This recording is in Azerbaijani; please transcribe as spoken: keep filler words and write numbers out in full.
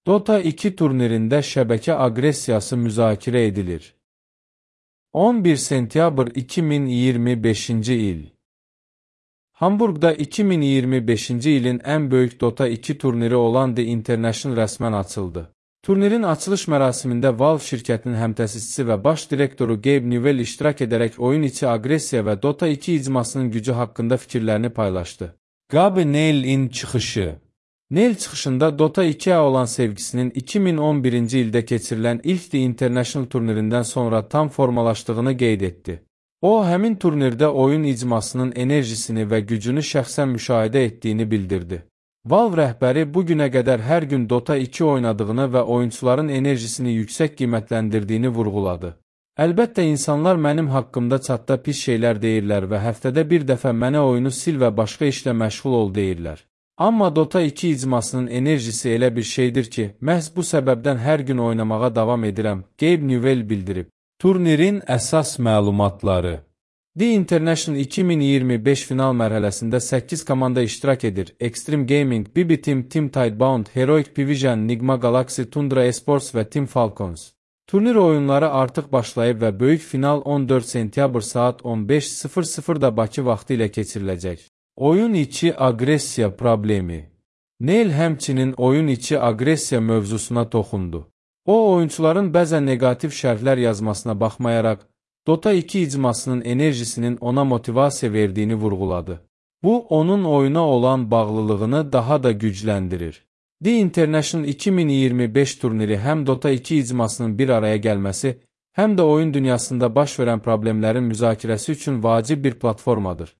Dota iki turnirində şəbəkə aqressiyası müzakirə edilir. on bir sentyabr iki min iyirmi beşinci il. Hamburqda iki min iyirmi beşinci ilin ən böyük Dota iki turniri olan The International rəsmən açıldı. Turnirin açılış mərasimində Valve şirkətinin həmtəsisçisi və baş direktoru Gabe Newell iştirak edərək oyun içi aqressiya və Dota iki icmasının gücü haqqında fikirlərini paylaşdı. Gabe Newell'in çıxışı. Newell çıxışında Dota ikiyə olan sevgisinin iki min on birinci ildə keçirilən ilk The International turnirindən sonra tam formalaşdığını qeyd etdi. O, həmin turnirdə oyun icmasının enerjisini və gücünü şəxsən müşahidə etdiyini bildirdi. Valve rəhbəri bu günə qədər hər gün Dota iki oynadığını və oyunçuların enerjisini yüksək qiymətləndirdiyini vurğuladı. Əlbəttə, insanlar mənim haqqımda çatda pis şeylər deyirlər və həftədə bir dəfə mənə oyunu sil və başqa işlə məşğul ol deyirlər. Amma Dota iki icmasının enerjisi elə bir şeydir ki, məhz bu səbəbdən hər gün oynamağa davam edirəm, Gabe Newell bildirib. Turnirin əsas məlumatları. The International iki min iyirmi beş final mərhələsində səkkiz komanda iştirak edir. Extreme Gaming, B B Team, Team Tidebound, Heroic Division, Nigma Galaxy, Tundra Esports və Team Falcons. Turnir oyunları artıq başlayıb və böyük final on dörd sentyabr saat on beş sıfır sıfırda Bakı vaxtı ilə keçiriləcək. Oyun içi aqressiya problemi. Newell həmçinin oyun içi aqressiya mövzusuna toxundu. O, oyunçuların bəzən negativ şərhlər yazmasına baxmayaraq, Dota iki icmasının enerjisinin ona motivasiya verdiyini vurğuladı. Bu, onun oyuna olan bağlılığını daha da gücləndirir. The International iki min iyirmi beş turniri həm Dota iki icmasının bir araya gəlməsi, həm də oyun dünyasında baş verən problemlərin müzakirəsi üçün vacib bir platformadır.